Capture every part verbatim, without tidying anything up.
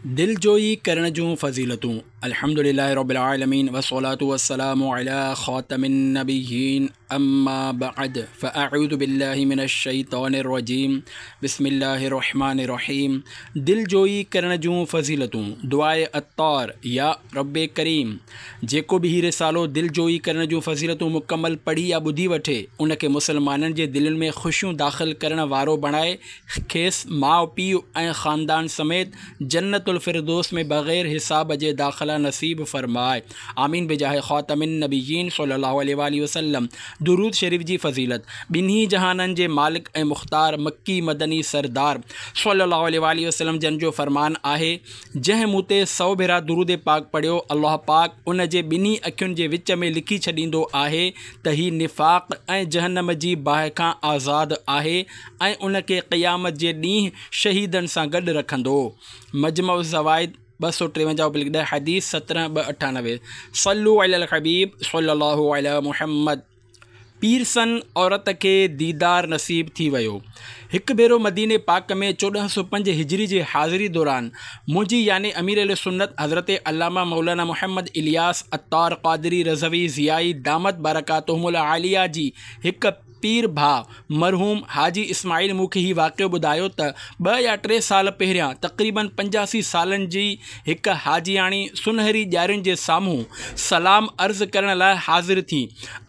دلجوئي ڪرڻ جون فضيلتون. الحمد لله رب العالمين والصلاة والسلام على خاتم النبيين اما بعد فاعوذ بالله من الشيطان الرجيم بسم الله الرحمن الرحيم. دلجوئي ڪرڻ جون فضيلتون. دعاء عطار. يا رب ڪريم، جيڪو به هي رسالو دلجوئي ڪرڻ جون فضيلتون مڪمل پڙهي يا ٻڌي وٺي، ان کي مسلمانن جي دلين ۾ خوشيون داخل ڪرڻ وارو بڻائي، کيس ماءُ پيءُ ۽ خاندان سميت جنت الفردوس ۾ بغير حساب جي داخلا نصيب فرمائي. آمين بجاه خاتم النبيين صلي الله عليه واله وسلم. درود شريف جي فضيلت. ٻنهي جهانن جي مالڪ ۽ مختار مڪي مدني سردار صلي الله عليه واله وسلم جن جو فرمان آهي، جنهن مون تي سؤ ڀيرا درود پاڪ پڙهيو، الله پاڪ ان جي ٻنهي اکين جي وچ ۾ لکي ڇڏيندو آهي ته هي نفاق ۽ جهنم جي باهه کان آزاد آهي ۽ ان کي قيامت جي ڏينهن شهيدن سان گڏ رکندو. مجمع الزوائد ٻه سؤ ٽيونجاهه پلڪ ڏهه، حديث سترهن ٻه اٺانوي. صلو علی الحبيب صلي الله علی محمد. پيرسن عورت کي ديدار نصيب ٿي ويو. هڪ ڀيرو مديني پاڪ ۾ چوڏهن سؤ پنج هجري جي حاضري دوران منهنجي يعني امير اهل سنت حضرت علامه مولانا محمد الياس عطار قادري رضوي ضيائي دامت برڪاتهم العاليه جي هڪ پير ڀاءُ مرحوم حاجي اسماعيل مون کي هي واقعو ٻڌايو ته ٻه يا ٽي سال پهريان تقريبن پنجاسي سالن جي هڪ حاجياڻي سنهري ڄارين جي سامهون سلام عرض ڪرڻ لاءِ حاضر ٿي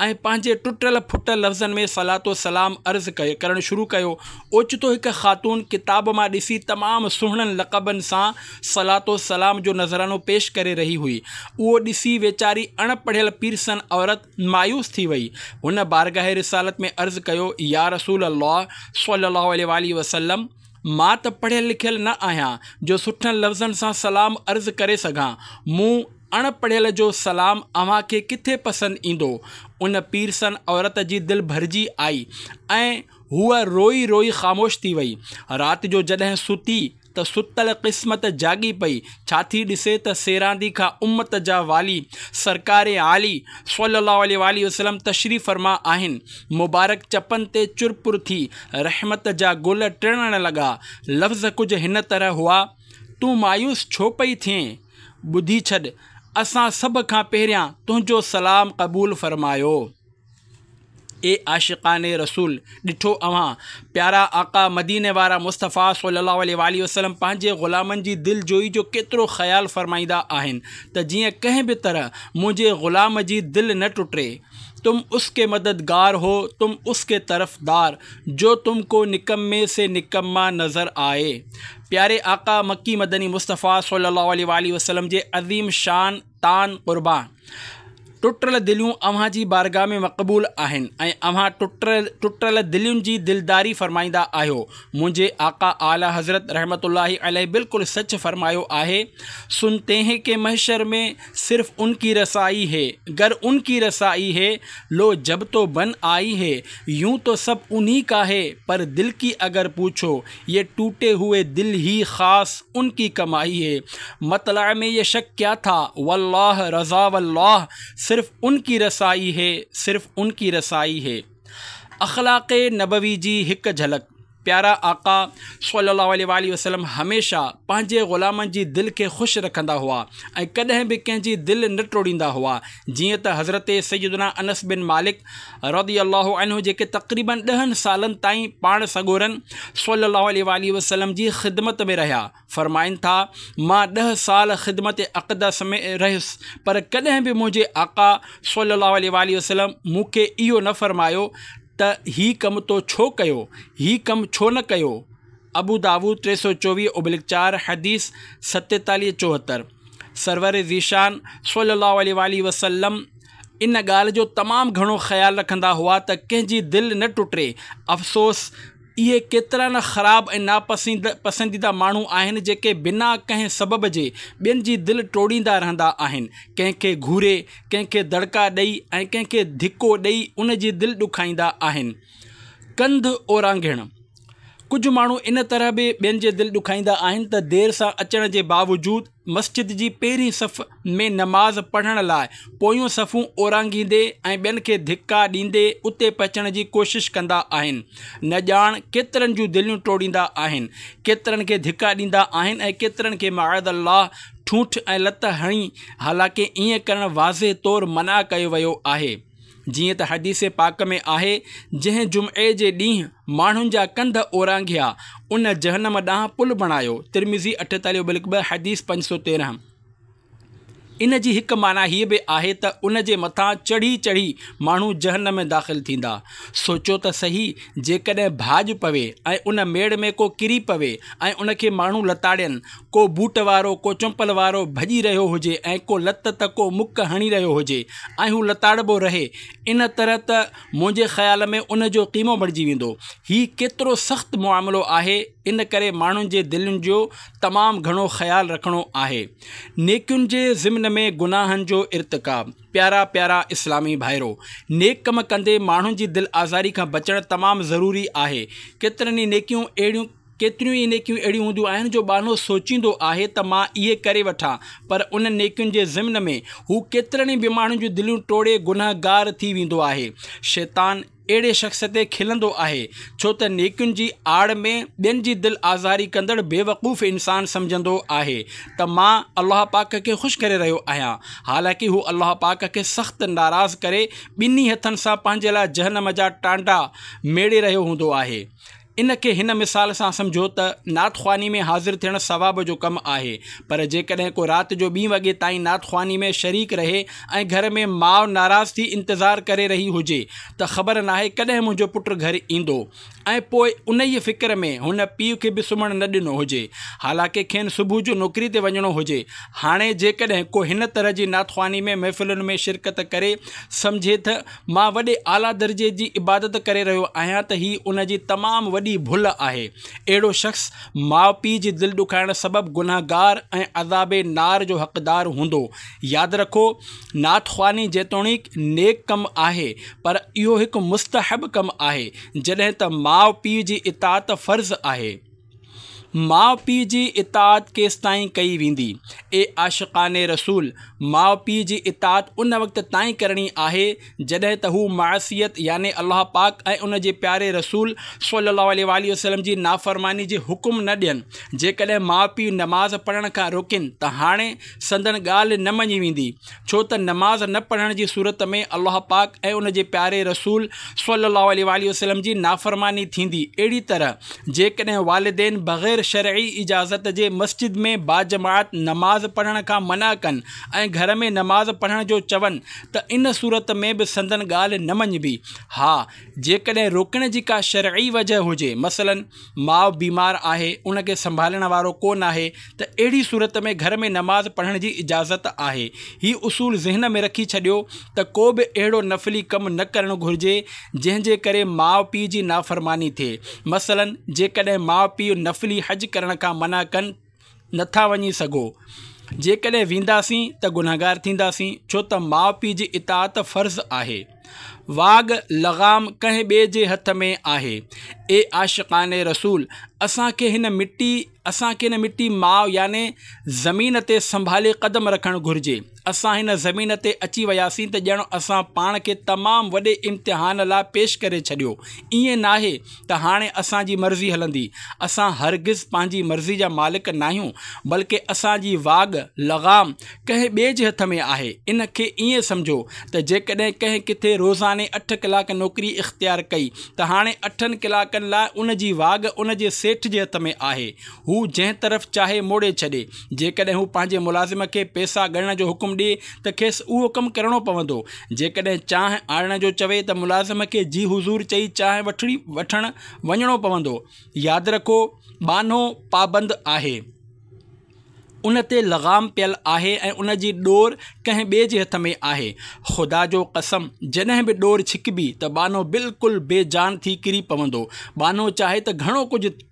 ۽ پنهنجي ٽٽل ڦٽل لفظن ۾ صلات و سلام عرض ڪرڻ شروع ڪيو. اوچتو هڪ خاتون ڪتاب مان ڏسي تمام سهڻن لقبن سان صلات و سلام جو نذرانو پيش ڪري رهي هئي. اهو ڏسي ويچاري اڻ پڙهيل پيرسن عورت مايوس ٿي وئي. هن بارگاهه رسالت ۾ عرض ڪيو، يا رسول الله صلي الله عليه واله وسلم، مان ته پڙهيل لکيل نه آهيان جو سٺن لفظن سان سلام عرض ڪري سگهان. مون اڻ پڙهيل جو سلام اوهان کي ڪٿي پسند ايندو؟ ان پيرسن عورت جي دل ڀرجي آئي ۽ هوءَ روئي روئي خاموش ٿي وئي. رات جو جڏهن ستي ته ستل قسمت جاڳي پئي. ڇا ٿي ڏسي ته سيراندي کان امت جا والي سرڪار عالي صلي الله عليه واله وسلم تشريف فرما آهن. مبارڪ چپن تي چرپر ٿي رحمت جا گل ٽڙڻ لڳا. لفظ ڪجهه هن طرح هئا، تون مايوس ڇو پئي ٿئين؟ ٻڌي ڇڏ، اسان سڀ کان پهريان تنهنجو سلام قبول فرمايو. اي عاشقان رسول، ڏٺو اوهان پيارا آقا مديني وارا مصطفيٰ صلي الله عليه واله وسلم پنهنجي غلامن جي دل جوئي جو ڪيترو خيال فرمائيندا آهن ته جيئن ڪنهن به طرح منهنجي غلام جي دل نه ٽٽي. تم اس ڪي مددگار هو، تم اس ڪي طرفدار، جو تم ڪو نڪمي سي نڪما نظر آئي. پياري آقا مڪي مدني مصطفيٰ صلي الله عليه واله وسلم جي عظيم شان تان قربان. ٽٽل دليون اوهان جي بارگاهه ۾ مقبول آهن ۽ اوهان ٽٽل ٽٽل دلين جي دلداري فرمائيندا آهيو. منهنجي آقا اعليٰ حضرت رحمت الله عليه بلڪل سچ فرمايو آهي، سنتي هين ڪه محشر ۾ صرف ان ڪي رسائي هي، گر ان ڪي رسائي هي، لو جب تو بن آئي هي، يون تو سب انهي ڪا هي، پر دل ڪي اگر پوڇو يه ٽوٽي هوئي دل هي خاص ان ڪي ڪمائي هي. مطلع ۾ يه شڪ ڪيا ٿا، والله رضا والله، صرف ان ڪي رسائي هي، صرف ان ڪي رسائي هي. اخلاق نبوي جي هڪ جهلڪ. پيارا آقا صلي الله عليه واله وسلم هميشه پنهنجي غلامن جي دل کي خوش رکندا هئا ۽ ڪڏهن به ڪنهن جي دل نه ٽوڙيندا هئا. جيئن ته حضرت سيدنا انس بن مالڪ رضي الله عنه جيڪي تقريبن ڏهن سالن تائين پاڻ سڳورن صلي الله عليه واله وسلم جي خدمت ۾ رهيا، فرمائن ٿا، مان ڏهه سال خدمت اقدس ۾ رهيس، پر ڪڏهن به منهنجي آقا صلي الله عليه واله وسلم مون کي اهو نه فرمايو ته هي ڪم تو ڇو ڪيو، هي ڪم ڇو نه ڪيو. ابو داود ٽي سؤ چوويهه ابلڪ چار، حديث ستيتاليهه چوهتر. سرور ذيشان صلي الله عليه واله وسلم ان ڳالهه جو تمام گهڻو خيال رکندا هئا ته ڪنهن جي دل نه ٽٽي. افسوس، اهي ڪيترا نه خراب ۽ ناپسند پسنديده ماڻهو آهن جيڪي بنا ڪنهن سبب جي ٻين جي دل ٽوڙيندا رهندا آهن. ڪنهن کي گهوري، ڪنهن کي دڙڪا ڏيئي ۽ ڪنهن کي ڌڪو ڏيئي ان جي دل ڏکائيندا آهن. ڪنڌ اورانگهڻ. ڪجهه ماڻهو ان طرح به ٻين جي دل ڏکائيندا آهن ته دير سان اچڻ جي باوجود مسجد جي پهرين صف ۾ نماز پڙهڻ لاء پويون صفون اورانگهيندي ۽ ٻين کي ڌڪا ڏيندي اتي پهچڻ جي ڪوشش ڪندا آهن. نه ڄاڻ ڪيترن جون دليون ٽوڙيندا آهن، ڪيترن کي ڌڪا ڏيندا آهن ۽ ڪيترن کي معاذ الله ٺونٺ ۽ لت هڻي، حالانڪه ائين ڪرڻ واضح طور منع ڪيو ويو آهي. جيئن ته حديث پاڪ ۾ آهي، جنهن جمعي جي ڏينهن ماڻهن جا ڪنڌ اورانگهيا، ان جهنم ڏانهن پل بڻايو. ترمذي اٺيتاليهه بلڪ ٻه، حديث پنج سؤ تيرنهن. ان جي هڪ معنيٰ هيء به آهي ته ان جي مٿان چڙهي چڙهي ماڻهو جهنم ۾ داخل ٿيندا. سوچيو ته سهي، جيڪڏهن ڀاڄ پوي ۽ ان ميڙ ۾ ڪو ڪري پوي ۽ ان کي ماڻهو لتاڙين، ڪو بوٽ وارو، ڪو چمپل وارو ڀڄي رهيو هجي ۽ ڪو لت ته ڪو مڪ هڻي رهيو هجي ۽ هو لتاڙبو رهي، ان طرح ته منهنجي خيال ۾ ان جو قيمو بڻجي ويندو. هي ڪيترو سخت معاملو آهي، ان ڪري ماڻهن جي دلين جو تمام گهڻو خيال رکڻو آهي. نيڪين جي ضمن ۾ گناهن جو ارتڪاب. پيارا پيارا اسلامي ڀائرو! نيڪ ڪم ڪندي ماڻهن جي دل آزاري کان بچڻ تمام ضروري آهي. ڪيترن ئي نيڪيون اهڙيون ڪيتريون ئي نيڪيون اهڙيون هونديون آهن جو ٻانهو سوچيندو آهي ته مان اهي ڪري وٺان، پر انهن نيڪين جي ضمن ۾ هو ڪيترن ئي به ماڻهن جون دليون ٽوڙي گنهگار ٿي ويندو آهي. شيطان اهڙي شخص تي کلندو آهي، ڇو ته نيڪين جي آڙ ۾ ٻين جي دل آزاري ڪندڙ بيوقوف انسان سمجهندو آهي ته مان الله پاڪ کي خوش ڪري رهيو آهيان، حالانڪه هو الله پاڪ کي سخت ناراض ڪري ٻنهي هٿن سان پنهنجي لاء جهنم جا ٽانڊا ميڙي رهيو هوندو آهي. ان کي هن مثال سان سمجهو ته نعت خواني ۾ حاضر ٿيڻ ثواب جو ڪم آهي، پر جيڪڏهن ڪو رات جو ٻين وڳي تائين نعت خواني ۾ شريڪ رهي ۽ گهر ۾ ماء ناراض ٿي انتظار ڪري رهي هجي ته خبر ناهي ڪڏهن منهنجو پٽ گهر ايندو ۽ پوء انهيء فڪر ۾ هن پيء کي به سمهڻ نه ڏنو هجي، حالانڪه کين صبح جو نوڪري تي وڃڻو هجي. هاڻي جيڪڏهن ڪو هن طرح جي نعت خواني ۾ محفلن ۾ شرڪت ڪري سمجهي تھ مان وڏي اعليٰ درجي جي عبادت ڪري رهيو آهيان ته هي ان جي تمام وڏي ڀل آهي. اهڙو شخص ماء پيء جي دل ڏکائڻ سبب گنهگار ۽ عذاب نار جو حقدار هوندو. ياد رکو! نعت خواني جيتوڻيڪ نيڪ ڪم آهي پر اهو هڪ مستحب ڪم آهي، جڏهن ته ماء پيء جي اطاعت فرض آهي. ماء پيء جي اطاعت ڪيستائين ڪئي ويندي؟ اي عاشقان رسول! ماء پيء جي اطاعت ان وقت تائين ڪرڻي آهي جڏهن ته هو معصيت يعني الله پاڪ ۽ ان جي پياري رسول صلي الله عليه واٰله وسلم جي نافرماني جي حڪم نه ڏين. جيڪڏهن ماء پيء نماز پڙهڻ کان روڪين ته هاڻي سندن ڳالهه نه مڃي ويندي، ڇو ته نماز نه پڙهڻ جي صورت ۾ الله پاڪ ۽ ان جي پياري رسول صلي الله عليه واٰله وسلم جي نافرماني ٿيندي. اهڙي طرح جيڪڏهن والدين بغير شرعي اجازت جي مسجد ۾ باجماعت نماز پڙهڻ کان منع ڪن ۽ گهر ۾ نماز پڙهڻ جو چون ته ان صورت ۾ به سندن ڳالهه نه مڃبي. ها جيڪڏهن روڪڻ جي ڪا شرعي وجه هجي، مثلاً ماء بيمار آهي، ان کي سنڀالڻ وارو ڪو ناهي ته اهڙي صورت ۾ گهر ۾ نماز پڙهڻ جي اجازت آهي. هي اصول ذهن ۾ رکي ڇڏيو ته ڪو به اهڙو نفلي ڪم نه ڪرڻ گهرجي جنهن جي ڪري ماء پيء جي نافرماني ٿئي. مثلاً جيڪڏهن ماء پيء نفلي حج ڪرڻ کان منع ڪن نٿا وڃي سگهو، جيڪڏهن وينداسين ته گنهگار ٿينداسين، ڇو ته ماء پيء جي اطاعت فرض آهي. واڳ لغام ڪنهن ٻئي جي هٿ ۾ آهي. اي عاشقان رسول! اسان کي هن مٽي اسان کي هن مٽي ماء يعني زمين تي سنڀالي قدم رکڻ گهرجي. اسان هن زمين تي اچي وياسين ته ڄڻ اسان پاڻ کي تمام وڏي امتحان لاء پيش ڪري ڇڏيو. ائين ناهي ته هاڻي اسان جي مرضي هلندي. اسان هرگز پنهنجي مرضي جا مالڪ ناهيون، بلڪه اسان جي واڳ، لغام، ڪنهن ٻئي جي هٿ ۾ آهي. ان کي ائين سمجهو ته جيڪڏهن ڪنهن ڪٿي روزاني اٺ ڪلاڪ نوڪري اختيار ڪئي ته هاڻي اٺن ڪلاڪن لاء ان جي واڳ ان جي سيٺ جي هٿ ۾ آهي. هو جنهن طرف چاهي موڙي ڇڏي. جيڪڏهن هو پنهنجي ملازم کي پئسا ڳڻڻ جو حڪم ڏئي ته کيس اهو ڪم ڪرڻو پوندو. جيڪڏهن چانهه آڻڻ جو چوي ته ملازم کي جي حضور چئي چانهه وٺڻ وڃڻو پوندو. ياد رکو، ٻانهو پابند آهي. ان تي لغام پيل آهي ۽ ان جي ڏور ڪنهن ٻئي جي هٿ ۾ آهي. خدا جو قسم، جڏهن به ڏور ڇڪبي ته ٻانهو بلڪل بي جان ٿي ڪري پوندو. ٻانهو چاهي ته گهڻو ڪجهه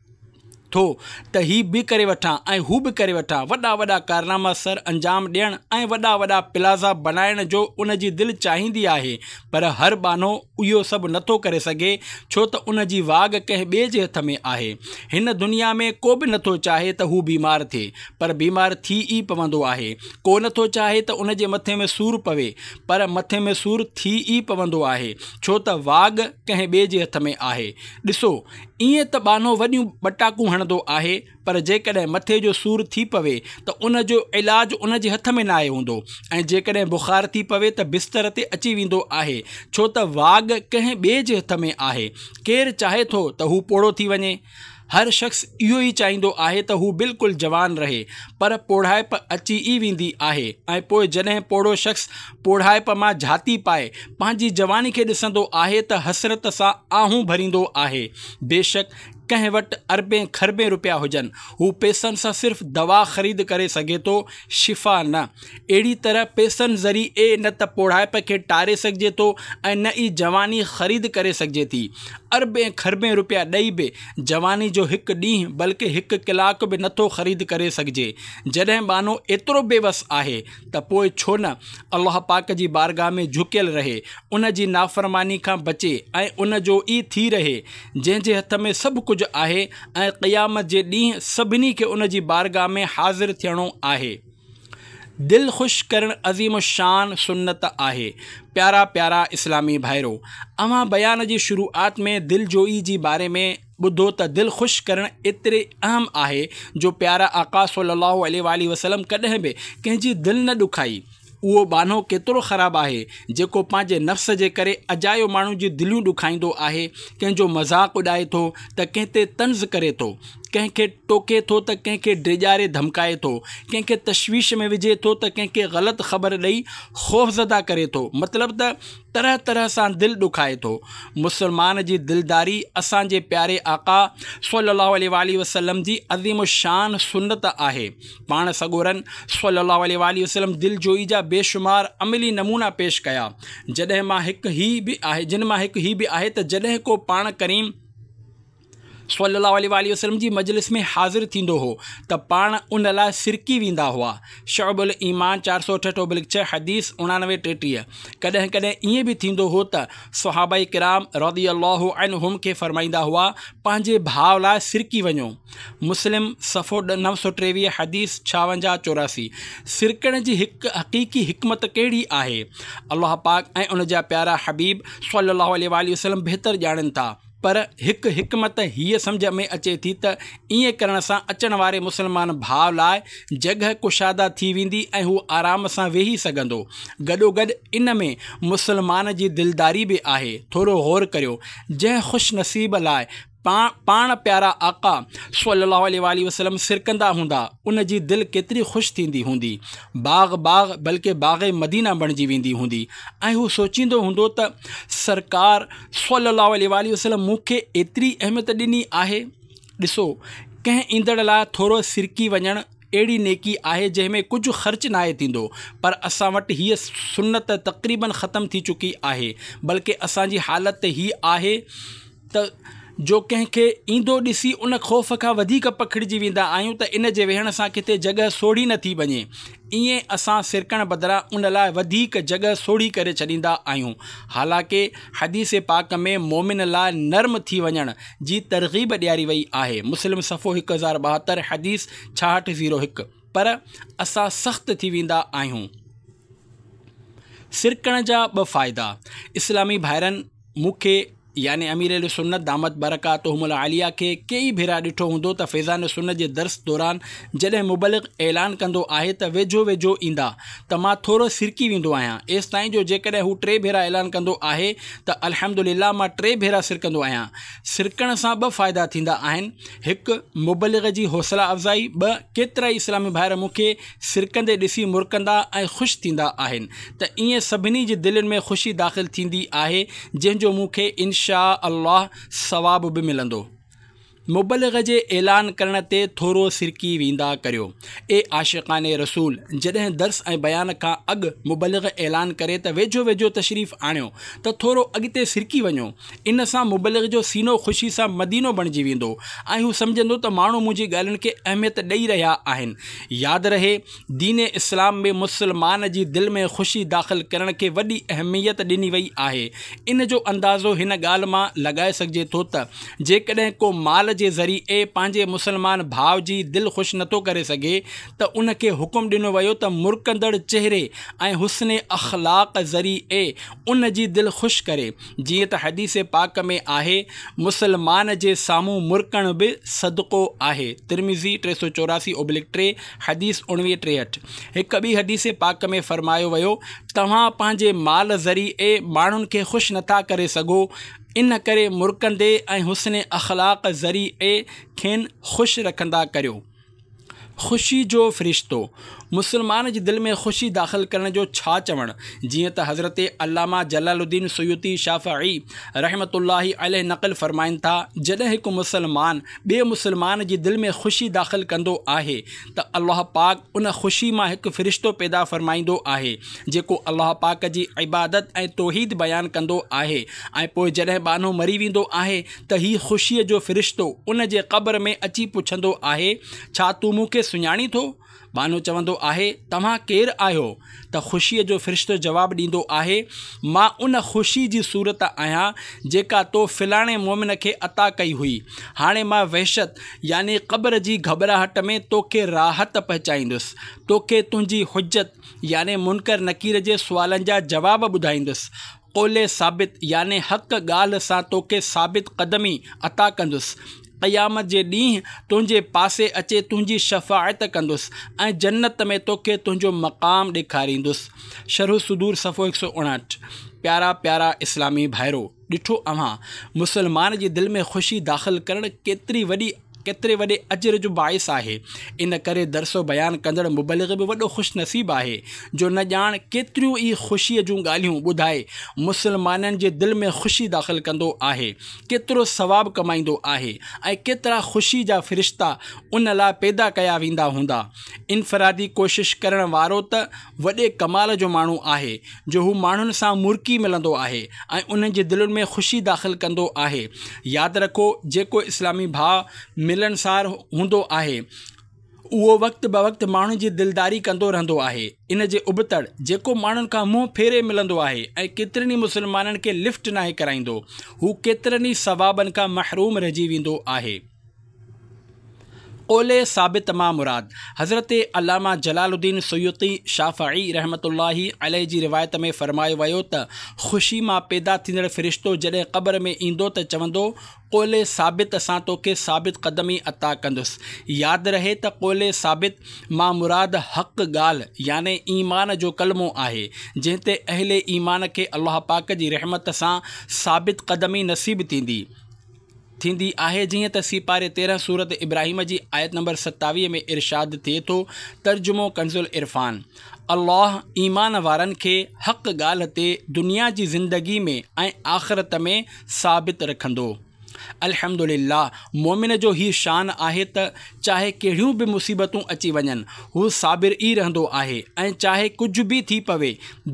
ٿو ته هي به ڪري وٺان ۽ هو به ڪري وٺان. وڏا وڏا ڪارناما سر انجام ڏيڻ ۽ وڏا وڏا پلازا بڻائڻ جو ان جي دل چاهيندي آهي، پر هر ٻانهو اهو سڀ نٿو ڪري سگهي، ڇو ته ان جي واڳ ڪنهن ٻئي جي هٿ ۾ آهي. هن دنيا ۾ ڪو به نٿو چاهي ته هو بيمار ٿئي، پر بيمار ٿي ئي پوندو آهي. ڪو نٿو چاهي ته ان جي مٿي ۾ سور پوي، پر مٿي ۾ سور ٿي ئي پوندو آهي، ڇو ته واڳ ڪنهن ٻئي جي هٿ ۾ آهي. ڏسو، ائين ته ٻانهو وڏيون ٻٽاڪون هڻندو آهي، پر جيڪڏهن مٿي جو سور ٿي پوي ته ان جو علاج ان جي هٿ ۾ ناهي هوندو، ۽ جيڪڏهن بخار ٿي پوي ته بستر تي اچي ويندو آهي، ڇو ته واڳ ڪنهن ٻئي جي هٿ ۾ آهي. ڪير چاهي ٿو ته هو پوڙهو ٿي وڃي؟ هر شخص اهو ئي چاهيندو آهي ته هو بلڪل جوان رهي، پر پوڙهائپ اچي ئي ويندي آهي، ۽ پوء جڏهن پوڙهو شخص پوڙهائپ مان جهاتي پائي پنهنجي جواني کي ڏسندو آهي ته حسرت سان آهون ڀريندو آهي. بيشڪ ڪنهن وٽ اربين کربين روپيا هجن، هو پئسن سان صرف دوا خريد ڪري سگهي ٿو، شفا نه. اهڙي طرح پئسن ذريعي نه ته پوڙهائپ کي ٽاري سگهجي ٿو ۽ نه ئي جواني خريد ڪري سگهجي ٿي. اربين کربين روپيا ڏئي به جواني جو هڪ ڏينهن بلڪه هڪ ڪلاڪ به نٿو خريد ڪري سگهجي. جڏهن ٻانهو ايترو بيوس آهي ته پوء ڇو نه الله پاڪ جي بارگاهه ۾ جهڪيل رهي، ان جي نافرماني کان بچي ۽ ان جو ئي ٿي رهي، جنهن جي هٿ ۾ سڀ ڪجهه آهي ۽ قيامت جي ڏينهن سڀني کي ان جي بارگاهه ۾ حاضر ٿيڻو آهي. دل خوش ڪرڻ عظيم الشان سنت آهي. پيارا پيارا اسلامي ڀائرو، اوهان بيان جي شروعات ۾ دل جوئي جي باري ۾ ٻڌو ته دل خوش ڪرڻ ايتري اهم آهي جو پيارا آقا صلي الله عليه واٰله وسلم ڪڏهن به ڪنهن جي دل نه ڏکائي. اهو ٻانهو ڪيترو خراب آهي جيڪو پنهنجي نفس جي ڪري اجايو ماڻهن جون دليون ڏکائيندو آهي، ڪنهن جو مذاق اڏائي ٿو ته ڪنهن تي طنز ڪري ٿو، ڪنهن کي ٽوڪي ٿو ته ڪنهن کي ڊيڄاري ڌمڪائي ٿو، ڪنهن کي تشويش ۾ وجهي ٿو ته ڪنهن کي غلط خبر ڏئي خوفزده ڪري ٿو، مطلب ته طرح طرح سان دل ڏکائي ٿو. مسلمان جي دلداري اسان جي پياري آقا صلي الله عليه واٰله وسلم جي عظيم الشان سنت آهي. پاڻ سڳورن صلي الله عليه واٰله وسلم دل جوئي جا بيشمار عملي نمونا پيش ڪيا، جڏهن مان هڪ هي به آهي جن مان هڪ هي به آهي ته جڏهن ڪو پاڻ ڪريم صلي الله عليه واٰله وسلم جي مجلس ۾ حاضر ٿيندو هو ته پاڻ ان لاء سرڪي ويندا هئا. شعب الايمان چار سؤ اٺهٺ ابلڪ ڇهه حديث اڻانوي ٽيٽيهه. ڪڏهن ڪڏهن ائين به ٿيندو هو ته صحابه ڪرام رضي الله عنهم کي فرمائيندا هئا، پنهنجي ڀاء لاء سرڪي وڃو. مسلم صفحو نو سؤ ٽيويهه حديث ڇاونجاهه چوراسي. سرڪڻ جي هڪ حقيقي حڪمت ڪهڙي آهي؟ الله پاڪ ۽ ان جا پيارا حبيب صلي الله عليه واٰله وسلم بهتر ڄاڻن ٿا، پر هڪ حڪمت هيء سمجهه ۾ اچي ٿي ته ائين ڪرڻ سان اچڻ واري مسلمان ڀاء لاء جڳهه ڪشاده ٿي ويندي ۽ هو آرام سان ويهي سگهندو. گڏوگڏ ان ۾ مسلمان جي دلداري به آهي. ٿورو غور ڪريو، جنهن خوش نصيب لاء پاڻ پيارا آقا صلي الله عليه واٰله وسلم سرڪندا هوندا، ان جي دل ڪيتري خوش ٿيندي هوندي، باغ باغ بلڪه باغ مدينه بڻجي ويندي هوندي ۽ هو سوچيندو هوندو ته سرڪار صلي الله عليه واٰله وسلم مون کي ايتري اهميت ڏني آهي. ڏسو، ڪنهن ايندڙ لاء ٿورو سرڪي وڃڻ اهڙي نيڪي آهي جنهن ۾ ڪجهه خرچ ناهي ٿيندو، پر اسان وٽ هيء سنت تقريباً ختم ٿي چڪي آهي، بلڪه اسان جي حالت هيء آهي ته جو ڪنهن کي ايندو ڏسي ان خوف کان وڌيڪ پکڙجي ويندا آهيون ته ان جي ويهڻ سان ڪٿي جڳهه سوڙهي نه ٿي وڃي. ائين اسان سرڪڻ بدران ان لاء وڌيڪ جڳهه سوڙهي ڪري ڇڏيندا آهيون. حالانڪه حديث پاڪ ۾ مومن لاء نرم ٿي وڃڻ جي ترغيب ڏياري وئي آهي. مسلم صفحو هڪ هزار ٻاهتر حديث ڇاهٺ زيرو هڪ. پر اسان سخت ٿي ويندا آهيون. سرڪڻ جا ٻه فائدا. اسلامي ڀائرن مون کي يعني امير اهل سنت دامت برڪاتهم العاليه کي ڪيئي ڀيرا ڏٺو هوندو ته فيضان سنت جي درس دوران جڏهن مبلغ اعلان ڪندو آهي ته ويجهو ويجهو ايندا ته مان ٿورو سرڪي ويندو آهيان، ايستائين جو جيڪڏهن هو ٽي ڀيرا اعلان ڪندو آهي ته الحمدلله مان ٽي ڀيرا سرڪندو آهيان. سرڪڻ سان ٻه فائدا ٿيندا آهن، هڪ مبلغ جي حوصله افزائي، ٻه ڪيترائي اسلامي ڀائر مون کي سرڪندي ڏسي مرڪندا ۽ خوش ٿيندا آهن ته ائين سڀني جي دلين ۾ خوشي داخل ٿيندي آهي، جنهن جو مون کي انشاء الله ثواب به ملندو. مبلغ جي اعلان ڪرڻ تي ٿورو سرڪي ويندا ڪريو. اي عاشقان رسول! جڏهن درس ۽ بيان کان اڳ مبلغ اعلان ڪري ته ويجهو ويجهو تشريف آڻيو ته ٿورو اڳتي سرڪي وڃو. ان سان مبلغ جو سينو خوشي سان مدينو بڻجي ويندو ۽ هو سمجهندو ته ماڻهو منهنجي ڳالهين کي اهميت ڏئي رهيا آهن. ياد رهي، دين اسلام ۾ مسلمان جي دل ۾ خوشي داخل ڪرڻ کي وڏي اهميت ڏني وئي آهي. ان جو اندازو هن ڳالهه مان لڳائي سگهجي ٿو ته جيڪڏهن ڪو مال جي ذريعي پنهنجي مسلمان ڀاء جي دل خوش نٿو ڪري سگهي ته ان کي حڪم ڏنو ويو ته مرڪندڙ چهري ۽ حسن اخلاق ذريعي ان جي دل خوش ڪري. جيئن ته حديث پاڪ ۾ آهي، مسلمان جي سامهون مرڪڻ به صدقو آهي. ترمذي ٽي سؤ چوراسي اوبلڪ ٽي، حديث اڻويهه ٽيهٺ. هڪ ٻي حديث پاڪ ۾ فرمايو ويو، توهان پنهنجي مال ذريعي ماڻهن کي خوش نٿا ڪري سگهو، ان ڪري مرڪندي ۽ حسن اخلاق ذريعي کين خوش رکندا ڪريو. خوشي جو فرشتو. مسلمان جي دل ۾ خوشي داخل ڪرڻ جو ڇا چوڻ، جيئن ته حضرت علامه جلال الدين سيوطي شافعي رحمة الله عليه نقل فرمائن ٿا، جڏهن هڪ مسلمان ٻئي مسلمان جي دل ۾ خوشي داخل ڪندو آهي ته الله پاڪ ان خوشي مان هڪ فرشتو پيدا فرمائيندو آهي جيڪو الله پاڪ جي عبادت ۽ توحيد بيان ڪندو آهي ۽ پوء جڏهن ٻانهو مري ويندو آهي ته هي خوشيء جو فرشتو ان جي قبر ۾ اچي پڇندو آهي، ڇا تون مون کي سڃاڻين ٿو؟ ٻانهو چوندو آهي، توهان ڪير آهيو؟ ته خوشيء جو فرشتو جواب ڏيندو آهي، مان ان خوشي جي صورت آهيان جيڪا تو فلاڻي مومن کي عطا ڪئي هئي. هاڻي مان وحشت يعني قبر جي گهٻراهٽ ۾ توکي راحت پهچائيندس. توکي تنهنجي حجت يعني منڪر نڪير جي سوالن جا جواب ٻڌائيندس. قول ثابت يعني حق ڳالهه سان توکي ثابت قدمي عطا ڪندس. قيامت جي ڏينهن تنهنجي پاسي اچي تنهنجي شفاعت ڪندس ۽ جنت ۾ توکي تنهنجو مقام ڏيکاريندس. شرح الصدور صفحو هڪ سؤ اڻهٺ. پيارا پيارا اسلامي ڀائرو! ڏٺو اوهان مسلمان جي دل ۾ خوشي داخل ڪرڻ ڪيتري وڏي ڪيتري وڏي اجر جو باعث آهي. ان ڪري درس و بيان ڪندڙ مبلغ به وڏو خوش نصيب آهي جو نه ڄاڻ ڪيتريون ئي خوشيء جون ڳالهيون ٻڌائي مسلمانن جي دل ۾ خوشي داخل ڪندو آهي، ڪيترو ثواب ڪمائيندو آهي ۽ ڪيترا خوشي جا فرشتا ان لاء پيدا ڪيا ويندا هوندا. انفرادي ڪوشش ڪرڻ وارو ته وڏي ڪمال جو ماڻهو آهي جو هو ماڻهن سان مرڪي ملندو آهي ۽ انهن جي دلين ۾ خوشي داخل ڪندو آهي. ياد رکو، جيڪو اسلامي ڀاء ملنسار هوندو آهي اهو وقت بوقت ماڻهن جي دلداري ڪندو رهندو آهي. ان جي ابتڙ جيڪو ماڻهن کان منهن ڦيري ملندو آهي ۽ ڪيترن ئي مسلمانن کي لفٽ ناهي ڪرائيندو، هو ڪيترن ئي ثوابن کان محروم رهجي ويندو آهي. قول ثابت مان مراد، حضرت علامه جلال الدين سيوطي شافعي رحمة الله عليه جي روايت ۾ فرمايو ويو ته خوشي مان پيدا ٿيندڙ فرشتو جڏهن قبر ۾ ايندو ته چوندو، قول ثابت سان توکي ثابت قدمي عطا ڪندس. ياد رهي ته قول ثابت مان مراد حق ڳالهه يعني ايمان جو ڪلمو آهي، جنهن تي اهل ايمان کي الله پاڪ جي رحمت سان ثابت قدمي نصيب ٿيندي ٿيندي آهي، جيئن ته سيپاري تيرهن سورت ابراهيم جي آيت نمبر ستاويهه ۾ ارشاد ٿئي ٿو، ترجمو ڪنزالعرفان، الله ايمان وارن کي حق ڳالهه تي دنيا جي زندگي ۾ ۽ آخرت ۾ ثابت رکندو. الحمدلله مؤمن جو هي شان آهي ته چاهي ڪهڙيون به مصيبتون اچي وڃن هو صابر ئي رهندو آهي ۽ چاهي ڪجهه به ٿي پوي